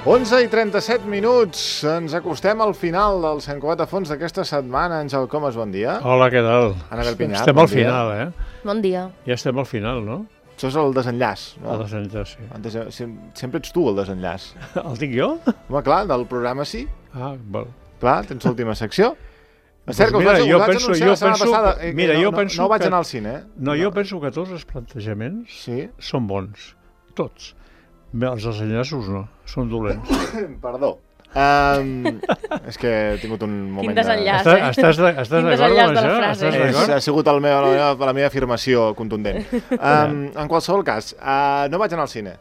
11:37. Ens acostem al final del Sant Cugat a fons d'aquesta setmana. Àngel Comas, bon dia. Hola, què tal? Anabel Pinyar, estem bon al dia. final, Bon dia. Ja estem al final, no? Això és el desenllaç, no? El desenllaç, sí. Sempre ets tu el desenllaç. El dic jo? Home, clar, del programa sí. Ah, val. Clar, tens l'última secció. És cert que Mira, us vaig anunciar la setmana passada. No vaig anar al cine, eh? No, jo penso que tots els plantejaments són bons. Tots. Els desenllaços no, són dolents. Perdó. És que he tingut un moment... Quin desenllaç, Estàs d'acord amb això? Ha sigut la meva afirmació contundent. En qualsevol cas, no vaig anar al cine.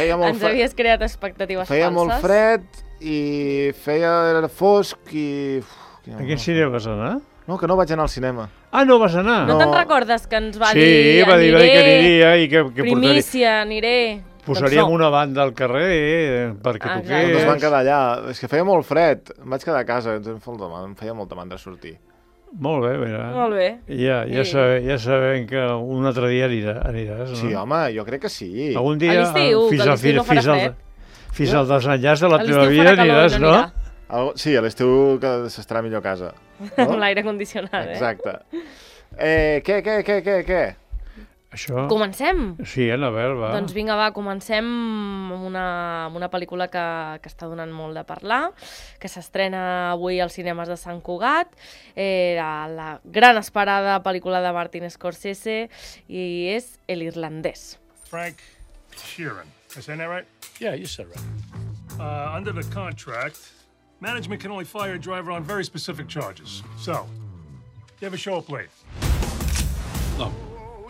Ens havies creat expectatives falses. Feia molt fred i feia fosc i... A quin cine vas anar? No, que no vaig anar al cinema. Ah, no vas anar? No te'n recordes que ens va dir Sí, va dir que aniria i que primícia, aniré... Posaríem una banda al carrer perquè toqués. Ens van quedar allà. És que feia molt fred. Em vaig quedar a casa. Em feia molta mandra sortir. Molt bé, mira. Molt bé. Ja sabem que un altre dia aniràs, no? Sí, home, jo crec que sí. Algun dia, a l'estiu, que a l'estiu no farà fred. Fins al desenllaç de la teva vida aniràs, no? Sí, a l'estiu que s'estarà millor a casa. Amb l'aire condicionat, Exacte. Què? Això? Comencem? Sí, Anabel, va. Doncs vinga, va, comencem amb una pel·lícula que està donant molt de parlar, que s'estrena avui als cinemes de Sant Cugat, la gran esperada pel·lícula de Martin Scorsese, i és El irlandès. Frank Sheeran. Am I saying that right? Yeah, you said right. Under the contract, management can only fire a driver on very specific charges. So, you ever show up late? No. Do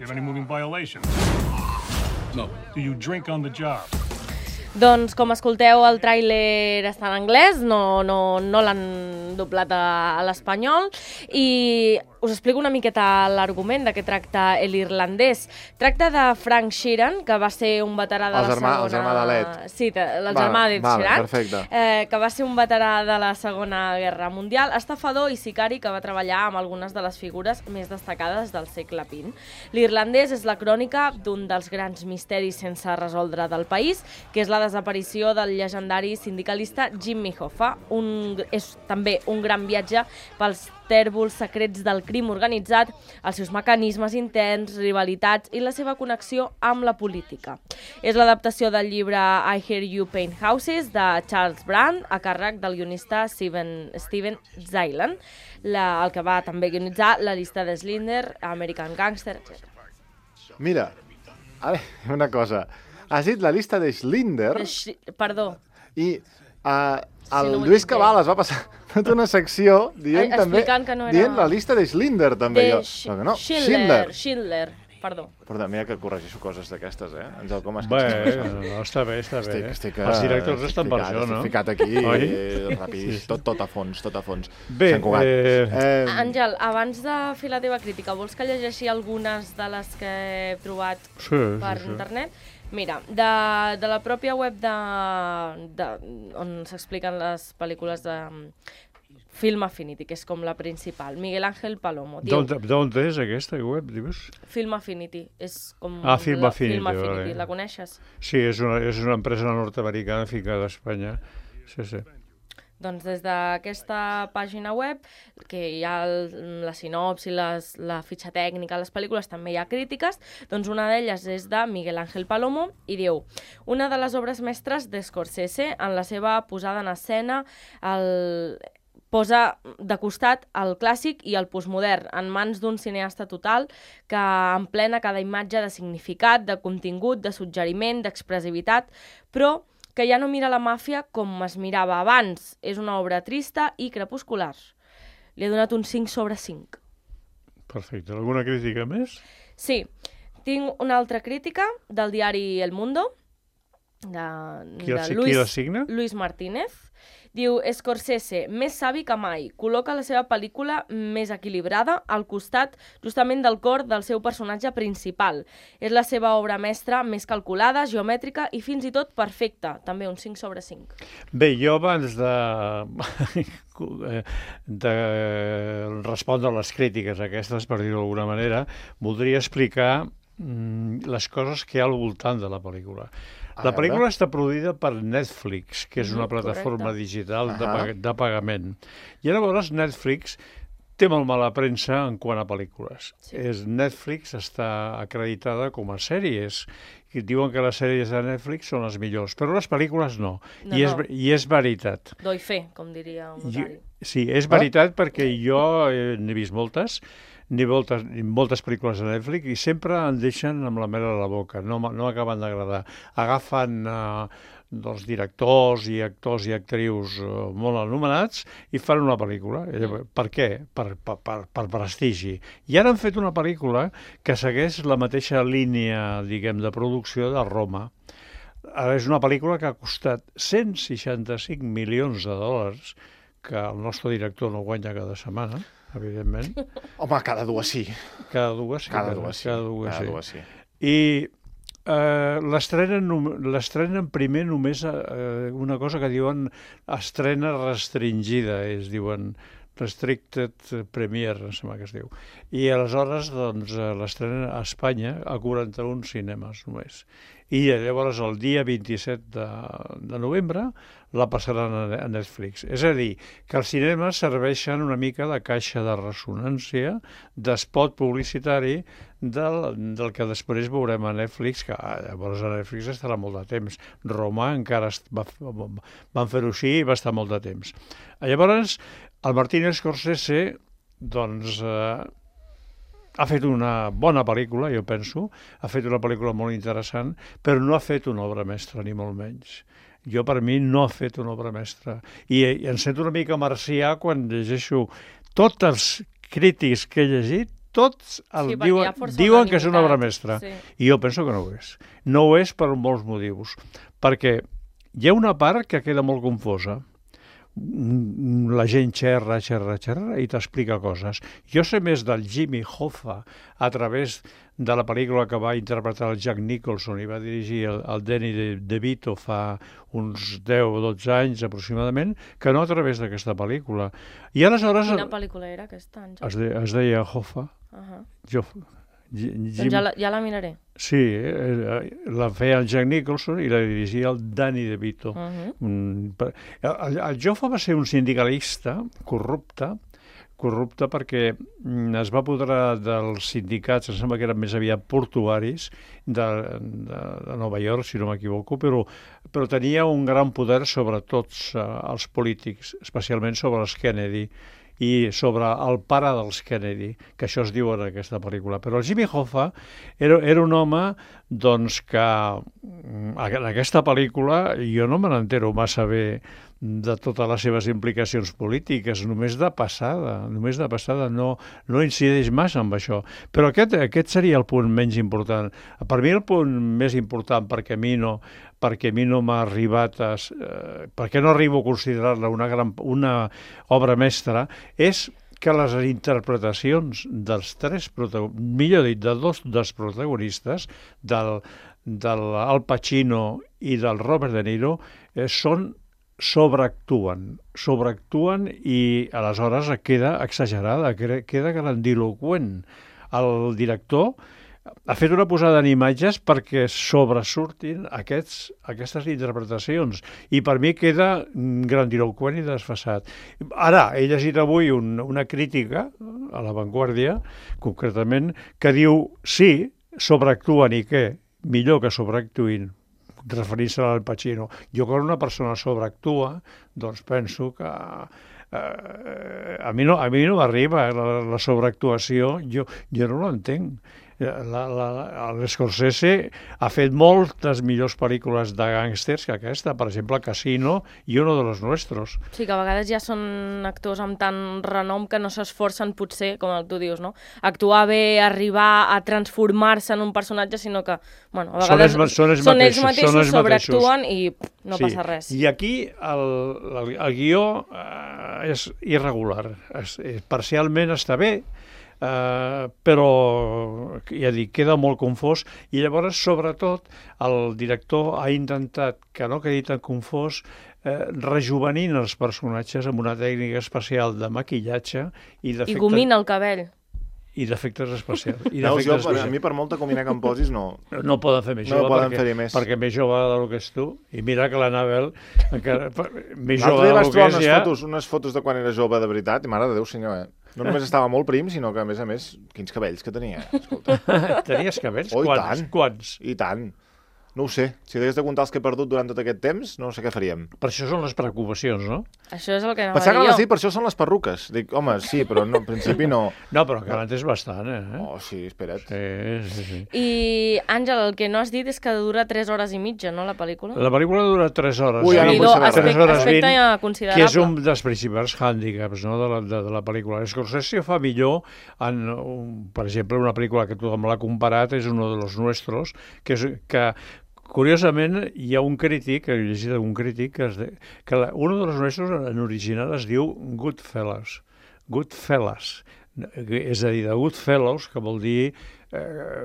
you have any moving violations? No. Do you drink on the job? Doncs, com escolteu, el tràiler està en anglès, no l'han doblat a l'espanyol, i us explico una miqueta l'argument de què tracta El irlandès. Tracta de Frank Sheeran, que va ser un veterà de la segona... El germà de l'Ed. Sí, el germà d'Ed Sheeran. Perfecte. Que va ser un veterà de la Segona Guerra Mundial, estafador i sicari que va treballar amb algunes de les figures més destacades del segle XX. L'irlandès és la crònica d'un dels grans misteris sense resoldre del país, que és la desaparició del llegendari sindicalista Jimmy Hoffa. És també un gran viatge pels tèrbols secrets del crim organitzat, els seus mecanismes interns, rivalitats i la seva connexió amb la política. És l'adaptació del llibre I Hear You Paint Houses de Charles Brand, a càrrec del guionista Steven Zeilen, el que va també guionitzar La llista de Schindler, American Gangster, etc. Mira, una cosa. Has dit La llista de Schindler... Perdó. I el Lluís Cabales va passar tota una secció dient també... Dient La llista de Schindler, també. Schindler, perdó. Perdó, mira que corregeixo coses d'aquestes, Àngel, com has no, està bé. Els directors estan per això, no? Estic ficat aquí, ràpid, tot a fons. Bé, Àngel, abans de fer la teva crítica, vols que llegeixi algunes de les que he trobat per internet? Mira, de la pròpia web on s'expliquen les pel·lícules de Film Affinity, que és com la principal. Miguel Ángel Palomo. D'on és aquesta web, dius? Film Affinity. És com Film Affinity, vale. La coneixes? Sí, és una empresa nord-americana ficada a Espanya. Sí. Doncs des d'aquesta pàgina web, que hi ha la sinopsi, la fitxa tècnica, les pel·lícules, també hi ha crítiques, doncs una d'elles és de Miguel Ángel Palomo i diu: una de les obres mestres de Scorsese en la seva posada en escena, posa de costat el clàssic i el postmodern en mans d'un cineasta total que emplena cada imatge de significat, de contingut, de suggeriment, d'expressivitat, però que ja no mira la màfia com es mirava abans. És una obra trista i crepuscular. Li he donat un 5/5. Perfecte. Alguna crítica més? Sí. Tinc una altra crítica del diari El Mundo, Qui la signa? Luis Martínez. Diu: Scorsese, més savi que mai, col·loca la seva pel·lícula més equilibrada al costat justament del cor del seu personatge principal. És la seva obra mestra més calculada, geomètrica i fins i tot perfecta. També un 5/5. Bé, jo abans de respondre a les crítiques aquestes, per dir-ho d'alguna manera, voldria explicar les coses que hi ha al voltant de la pel·lícula. La pel·lícula està produïda per Netflix, que és una plataforma digital de pagament. I llavors Netflix té molt mala premsa en quant a pel·lícules. Netflix està acreditada com a sèries, i diuen que les sèries de Netflix són les millors, però les pel·lícules no. I és veritat. Doy fe, com diria un notari. Sí, és veritat perquè jo n'he vist moltes pel·lícules de Netflix i sempre em deixen amb la mel a la boca, no m'acaben d'agradar. Agafen directors i actors i actrius molt anomenats i fan una pel·lícula. Per què? Per prestigi. I ara han fet una pel·lícula que segueix la mateixa línia, diguem, de producció de Roma. Ara és una pel·lícula que ha costat 165 milions de dòlars, que el nostre director no guanya cada setmana, evidentment. Home, cada dues sí. Cada dues sí. I l'estrenen primer només una cosa que diuen estrena restringida, diuen Restricted Premiere, em sembla que es diu. I aleshores l'estrenen a Espanya a 41 cinemes només. I llavors el dia 27 de novembre la passaran a Netflix. És a dir, que els cinemes serveixen una mica de caixa de ressonància, d'espot publicitari del que després veurem a Netflix, que llavors a Netflix estarà molt de temps. Roma encara van fer-ho així i va estar molt de temps. Llavors, el Martin Scorsese, doncs, ha fet una bona pel·lícula, jo penso, ha fet una pel·lícula molt interessant, però no ha fet una obra mestra, ni molt menys. Jo, per mi, no ha fet una obra mestra. I em sento una mica marcià quan llegeixo tots els crítics que he llegit, tots diuen que és una obra mestra. I jo penso que no ho és. No ho és per molts motius. Perquè hi ha una part que queda molt confosa. La gent xerra i t'explica coses. Jo sé més del Jimmy Hoffa a través de la pel·lícula que va interpretar el Jack Nicholson i va dirigir el Danny DeVito fa uns 10 o 12 anys aproximadament, que no a través d'aquesta pel·lícula. I aleshores... Quina pel·lícula era aquesta? Es deia Hoffa. Doncs ja la miraré. Sí, la feia el Jack Nicholson i la dirigia el Danny DeVito. El Joffa va ser un sindicalista corrupte perquè es va apoderar dels sindicats, em sembla que eren més aviat portuaris, de Nova York, si no m'equivoco, però tenia un gran poder sobre tots els polítics, especialment sobre els Kennedy, i sobre el pare dels Kennedy, que això es diu en aquesta pel·lícula. Però el Jimmy Hoffa era un home doncs, que en aquesta pel·lícula jo no me n'entero massa bé de totes les seves implicacions polítiques, només de passada, no incideix massa amb això. Però aquest seria el punt menys important. Per mi el punt més important, perquè a mi no m'ha arribat perquè no arribo a considerar-la una obra mestra, és que les interpretacions dels de dos dels protagonistes, del Al Pacino i del Robert De Niro, sobreactuen i aleshores queda exagerada, queda grandiloqüent. El director ha fet una posada en imatges perquè sobresurtin aquestes interpretacions i per mi queda grandiloqüent i desfasat. Ara, he llegit avui una crítica a La Vanguardia, concretament, que diu sí, sobreactuen i què? Millor que sobreactuïn, referint-se al Pacino. Jo, quan una persona sobreactua, doncs penso que a mi no m'arriba la sobreactuació, jo no l'entenc. L'Scorsese ha fet moltes millors pel·lícules de gàngsters que aquesta, per exemple Casino i Uno de los Nuestros. Sí, que a vegades ja són actors amb tant renom que no s'esforcen potser, com tu dius, no? Actuar bé, arribar a transformar-se en un personatge, sinó que, bueno, a vegades són ells mateixos, sobreactuen i no passa res. I aquí el guió és irregular, parcialment està bé, però ja dic, queda molt confós i llavors sobretot el director ha intentat que no quedi tan confós rejuvenint els personatges amb una tècnica especial de maquillatge i gomina el cabell. i d'efectes especials. A mi per molta comina que em posis no... No poden fer més jove perquè més jove del que és tu. I mira que l'Anabel encara més jove del que és ja... unes fotos de quan era jove de veritat i mare de Déu senyor, No només estava molt prim, sinó que a més, quins cabells que tenia. Escolta. Tenies cabells? Quants? I tant. No ho sé. Si hagués de comptar els que he perdut durant tot aquest temps, no sé què faríem. Per això són les preocupacions, no? Això és el que anava a dir jo. Per això són les perruques. Dic, home, sí, però no, en principi no. No, però que l'antes bastant, Oh, sí, espera't. Sí. I, Àngel, el que no has dit és que dura 3 hores i mitja, no, la pel·lícula? La pel·lícula dura 3 hores. Ui, ara no vull saber res. 3 hores 20, considerable. que és un dels principals hàndicaps, no, de la pel·lícula. Scorsese fa millor, per exemple, una pel·lícula que tothom l'ha comparat, és Uno de los Nuestros, que curiosament, hi ha un crític, he llegit un crític, que Uno de los Nuestros en original es diu Goodfellas. Goodfellas. És a dir, de Goodfellows, que vol dir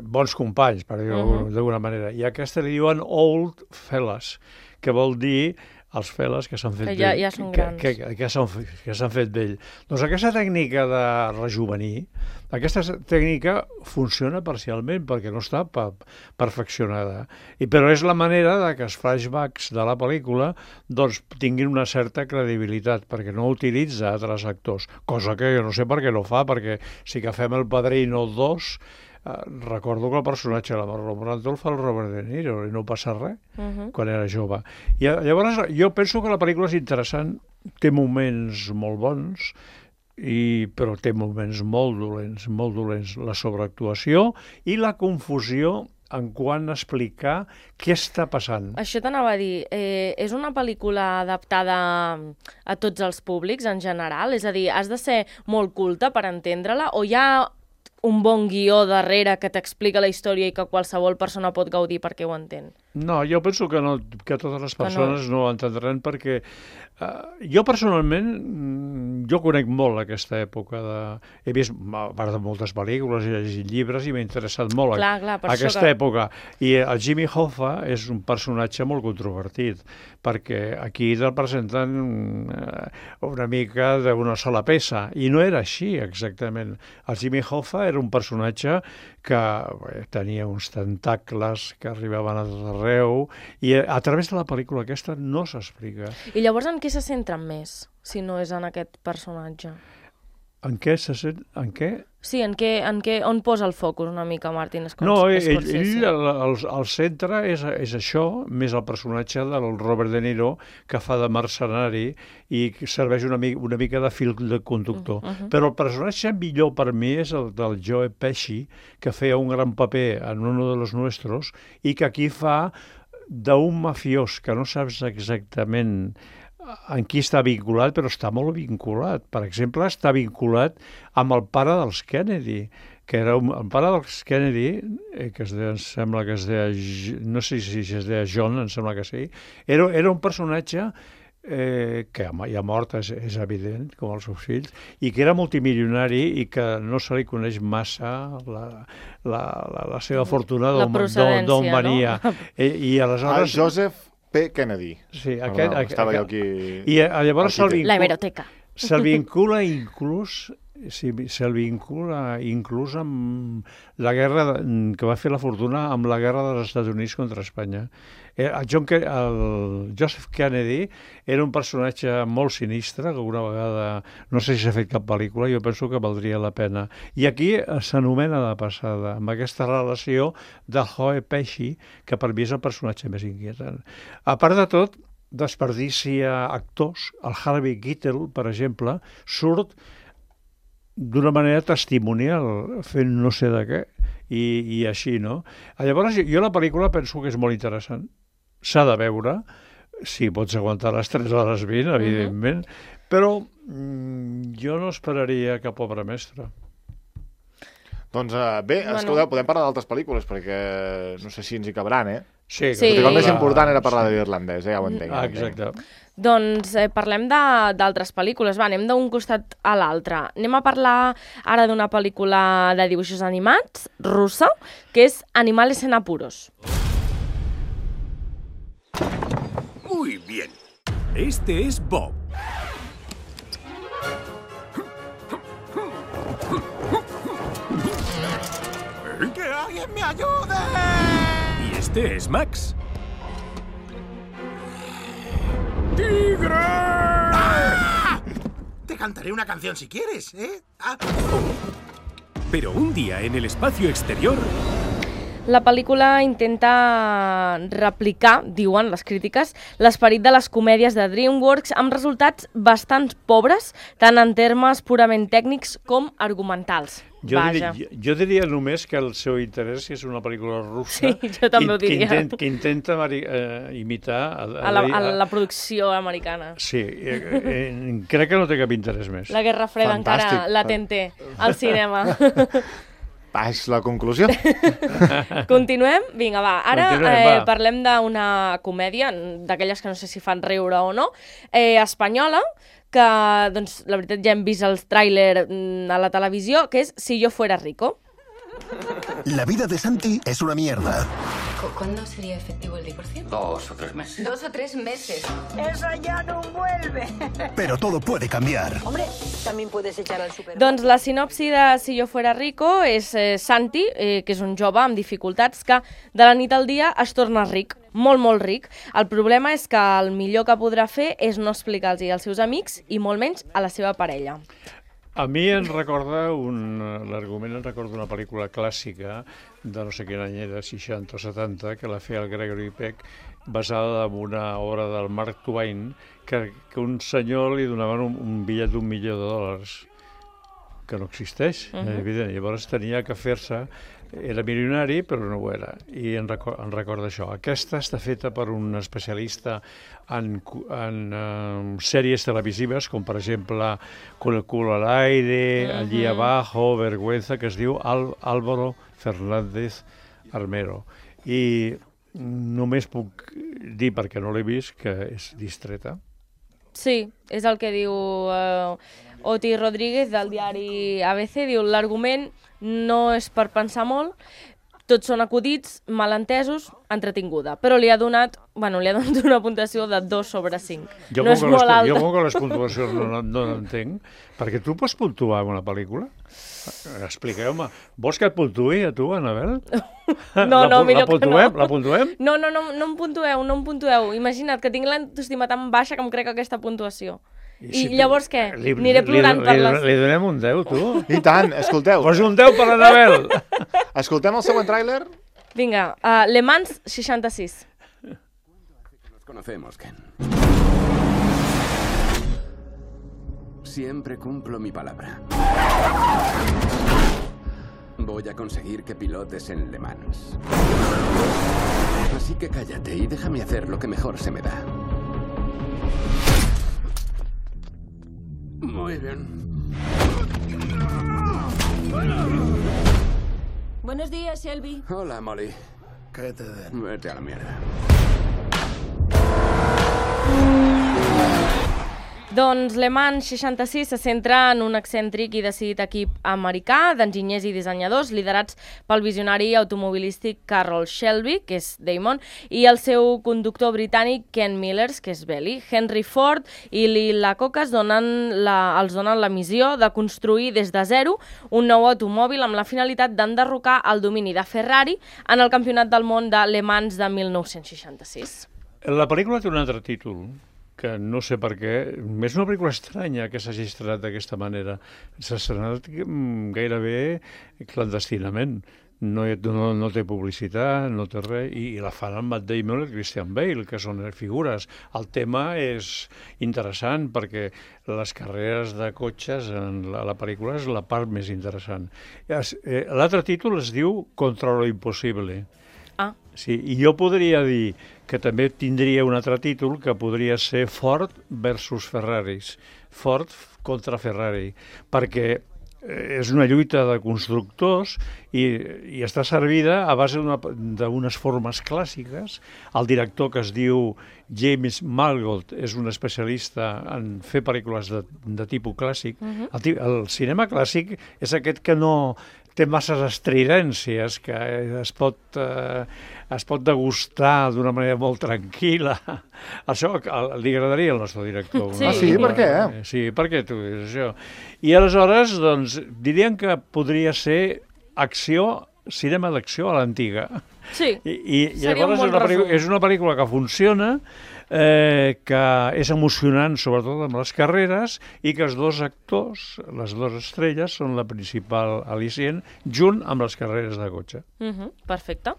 bons companys, per dir-ho d'alguna manera. I aquesta li diuen Old Fellas, que vol dir els feles que s'han fet vell. Ja són grans. Que s'han fet vell. Doncs aquesta tècnica de rejuvenir, aquesta tècnica funciona parcialment perquè no està perfeccionada. Però és la manera que els flashbacks de la pel·lícula doncs, tinguin una certa credibilitat, perquè no utilitza altres actors, cosa que jo no sé per què no fa, perquè si agafem El Padrino 2... recordo que el personatge de la Marlon Brando el fa el Robert De Niro i no passa res quan era jove. I llavors jo penso que la pel·lícula és interessant, té moments molt bons, però té moments molt dolents. La sobreactuació i la confusió en quant a explicar què està passant. Això t'anava a dir, és una pel·lícula adaptada a tots els públics en general? És a dir, has de ser molt culte per entendre-la o hi ha un bon guió darrere que t'explica la història i que qualsevol persona pot gaudir perquè ho entén? No, jo penso que totes les persones no ho entendran perquè jo personalment jo conec molt aquesta època he vist a part de moltes pel·lícules i llegit llibres i m'ha interessat molt aquesta època i el Jimmy Hoffa és un personatge molt controvertit perquè aquí el presenten una mica d'una sola peça i no era així exactament. El Jimmy Hoffa era un personatge que tenia uns tentacles que arribaven a tot arreu i a través de la pel·lícula aquesta no s'explica. I llavors en què se centren més, si no és en aquest personatge? En què se centren? En què? Sí, on posa el focus una mica Martin Scorsese? No, ell el centre és això, més el personatge del Robert De Niro, que fa de mercenari i serveix una mica de fil de conductor. Però el personatge millor per mi és el del Joe Pesci, que feia un gran paper en Uno de los Nuestros i que aquí fa d'un mafiós que no saps exactament en qui està vinculat, però està molt vinculat. Per exemple, està vinculat amb el pare dels Kennedy, que era el pare dels Kennedy, que em sembla que es deia, no sé si es deia John, em sembla que sí, era un personatge que ja mort, és evident, com els seus fills, i que era multimilionari i que no se li coneix massa la seva fortuna, d'on venia. I aleshores... Joseph P. Kennedy. Sí, estava jo aquí... I llavors la hemeroteca. Se'l vincula inclús amb la guerra que va fer la fortuna amb la guerra dels Estats Units contra Espanya. El Joseph Kennedy era un personatge molt sinistre, que una vegada, no sé si s'ha fet cap pel·lícula, jo penso que valdria la pena. I aquí s'anomena de passada, amb aquesta relació de Joe Pesci, que per mi és el personatge més inquietant. A part de tot, desperdicia actors. El Harvey Keitel, per exemple, surt d'una manera testimonial, fent no sé de què, i així, no? Llavors, jo la pel·lícula penso que és molt interessant. S'ha de veure, si pots aguantar les 3 hores 20, evidentment, però jo no esperaria cap obra mestra. Doncs bé, escolteu, podem parlar d'altres pel·lícules, perquè no sé si ens hi cabran, Sí. El més important era parlar de l'irlandès, ja ho entenc. Exacte. Doncs parlem d'altres pel·lícules. Va, anem d'un costat a l'altre. Anem a parlar ara d'una pel·lícula de dibuixos animats, russa, que és Animales en apuros. Muy bien. Este es Bob. ¡Que alguien me ayude! Y este es Max. ¡Tigre! ¡Ah! Te cantaré una canción si quieres, ¿eh? Ah. Pero un día en el espacio exterior... La pel·lícula intenta replicar, diuen les crítiques, l'esperit de les comèdies de DreamWorks amb resultats bastant pobres, tant en termes purament tècnics com argumentals. Jo diria només que el seu interès és una pel·lícula russa jo també ho diria. Que intenta imitar la producció americana. Sí, crec que no té cap interès més. La Guerra Freda encara latent té al cinema. És la conclusió. Continuem? Vinga, va. Ara parlem d'una comèdia, d'aquelles que no sé si fan riure o no, espanyola, que, doncs, la veritat ja hem vist el tràiler a la televisió, que és Si yo fuera rico. La vida de Santi es una mierda. ¿Cuándo sería efectivo el 10%? 2 o 3 meses. 2 o 3 meses. Eso ya no vuelve. Pero todo puede cambiar. Hombre, también puedes echar al supermercado. Doncs la sinopsi de Si yo fuera rico és Santi, que és un jove amb dificultats que de la nit al dia es torna ric, molt, molt ric. El problema és que el millor que podrà fer és no explicar-los als seus amics i molt menys a la seva parella. A mi em recorda l'argument, em recorda una pel·lícula clàssica de no sé quin any era, 60 o 70, que la feia el Gregory Peck, basada en una obra del Mark Twain, que un senyor li donaven un bitllet d'1.000.000 que no existeix, evident. Llavors tenia que fer-se, era milionari però no ho era, i em recorda això. Aquesta està feta per un especialista en sèries televisives, com per exemple Con el culo al aire, Allí abajo, Vergüenza, que es diu Álvaro Fernández Armero. I només puc dir, perquè no l'he vist, que és distreta. Sí, és el que diu Oti Rodríguez del diari ABC, diu l'argument no és per pensar molt, tots són acudits, malentesos, entretinguda, però li ha donat una puntuació de 2 sobre 5. Jo no és molt alta. Jo com que les puntuacions no l'entenc, perquè tu pots puntuar una pel·lícula? Expliqueu-me. Vols que et puntuï a tu, Anabel? No, millor que no. La puntuem? No em puntueu. Imagina't que tinc l'autoestima tan baixa que em crec aquesta puntuació. I llavors què? Aniré plorant per les... Li donem un 10, tu? I tant, escolteu. Posa un 10 per l'Anabel. Escoltem el següent tràiler? Vinga, Le Mans 66. Nos conocemos, Ken. Siempre cumplo mi palabra. Voy a conseguir que pilotes en Le Mans. Así que cállate y déjame hacer lo que mejor se me da. Muy bien. Buenos días, Shelby. Hola, Molly. ¿Qué te den? Vete a la mierda. Doncs Le Mans 66 se centra en un excèntric i decidit equip americà d'enginyers i dissenyadors liderats pel visionari automobilístic Carroll Shelby, que és Damon, i el seu conductor britànic Ken Millers, que és Belly. Henry Ford i Lee Iacocca els donen la missió de construir des de zero un nou automòbil amb la finalitat d'enderrocar el domini de Ferrari en el Campionat del Món de Le Mans de 1966. La pel·lícula té un altre títol, que no sé per què, és una pel·lícula estranya que s'hagi estrenat d'aquesta manera. S'ha estrenat gairebé clandestinament. No té publicitat, no té res, i la fan amb Matt Damon i Christian Bale, que són figures. El tema és interessant perquè les carreres de cotxes en la pel·lícula és la part més interessant. L'altre títol es diu Contra lo imposible. Sí, i jo podria dir que també tindria un altre títol que podria ser Ford versus Ferraris, Ford contra Ferrari, perquè és una lluita de constructors i està servida a base d'unes formes clàssiques. El director, que es diu James Mangold, és un especialista en fer pel·lícules de tipus clàssic. El cinema clàssic és aquest que no té masses estridències que es pot degustar d'una manera molt tranquil·la. Això li agradaria al nostre director. Sí. Ah, sí? Per què? Sí, per què tu dius això? I aleshores, doncs, dirien que podria ser cinema d'acció a l'antiga. Sí, I seria un llavors bon resum. és una pel·lícula que funciona, que és emocionant, sobretot amb les carreres, i que els dos actors, les dues estrelles, són la principal al·licient, junt amb les carreres de cotxe. Perfecte.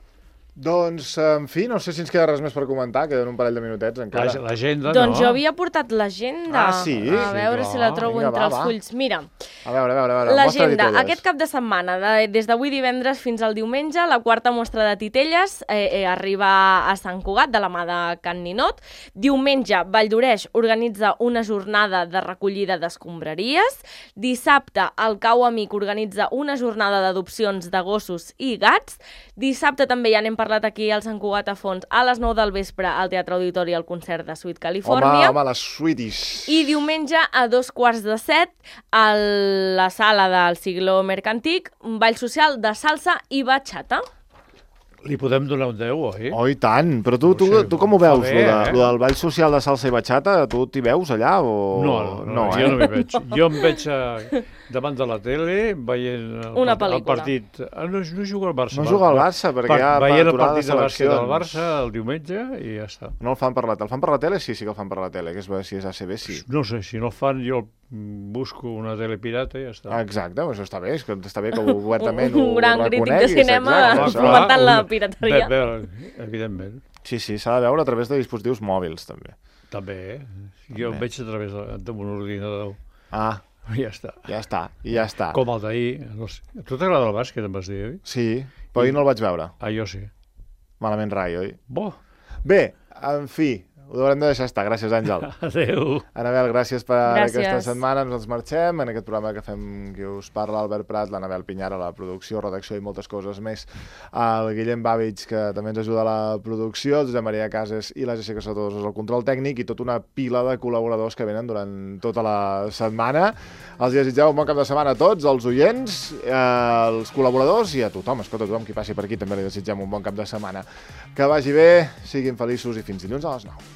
Doncs, en fi, no sé si ens queda res més per comentar, queden un parell de minutets encara. L'agenda, no? Doncs jo havia portat l'agenda. Ah, sí? A veure si la trobo entre els fulls. Mira, A veure, l'agenda. Aquest cap de setmana, des d'avui divendres fins al diumenge, la quarta mostra de titelles arriba a Sant Cugat, de la mà de Can Ninot. Diumenge, Valldoreix organitza una jornada de recollida d'escombraries. Dissabte, el Cau Amic organitza una jornada d'adopcions de gossos i gats. Dissabte també ja n'hem parlat aquí al Sant Cugat a fons, a les 9 del vespre al Teatre Auditori el concert de Sweet California. Home, les Sweeties. I diumenge a 2:15 a la sala del Siglo Mercantic, un ball social de salsa i bachata. Li podem donar un 10, oi? Oh, i tant. Però tu com ho veus, lo del ball social de salsa i bachata? Tu t'hi veus allà o...? No, jo no m'hi veig. Jo em veig davant de la tele veient el partit. No jugo al Barça. No juga al Barça, perquè hi ha veient el aturada de partit de bàsquet del seleccions. Barça el diumenge i ja està. No el fan per la tele. El fan per la tele? Sí que el fan per la tele, que si és ACB, sí. No sé, si no el fan jo busco una tele pirata i ja està. Exacte, això està bé, és que està bé que obertament ho Un gran crític de reconeguis, cinema fomentant la pirateria. Evidentment. Sí, s'ha de veure a través de dispositius mòbils, també. També, jo em veig a través d'un ordinador. Ah, ja està. Ja està. Com el d'ahir. No sé. A tu t'agrada el bàsquet, em vas dir, oi? Sí, però ahir no el vaig veure. Ah, jo sí. Malament rai, oi? Bo. Bé, en fi, ho haurem de deixar estar. Gràcies, Àngel. Adéu. Anabel, gràcies per aquesta setmana. Ens marxem en aquest programa que fem, que us parla Albert Prat, l'Anabel Pinyara, la producció, redacció i moltes coses més. El Guillem Bàvits, que també ens ajuda a la producció, el Josep Maria Cases i la Jessica Sotosos al control tècnic i tota una pila de col·laboradors que venen durant tota la setmana. Els desitgeu un bon cap de setmana a tots, els oients, els col·laboradors i a tothom. Escolta, tothom qui passi per aquí també li desitgem un bon cap de setmana. Que vagi bé, siguin feliços i fins dilluns a les 9.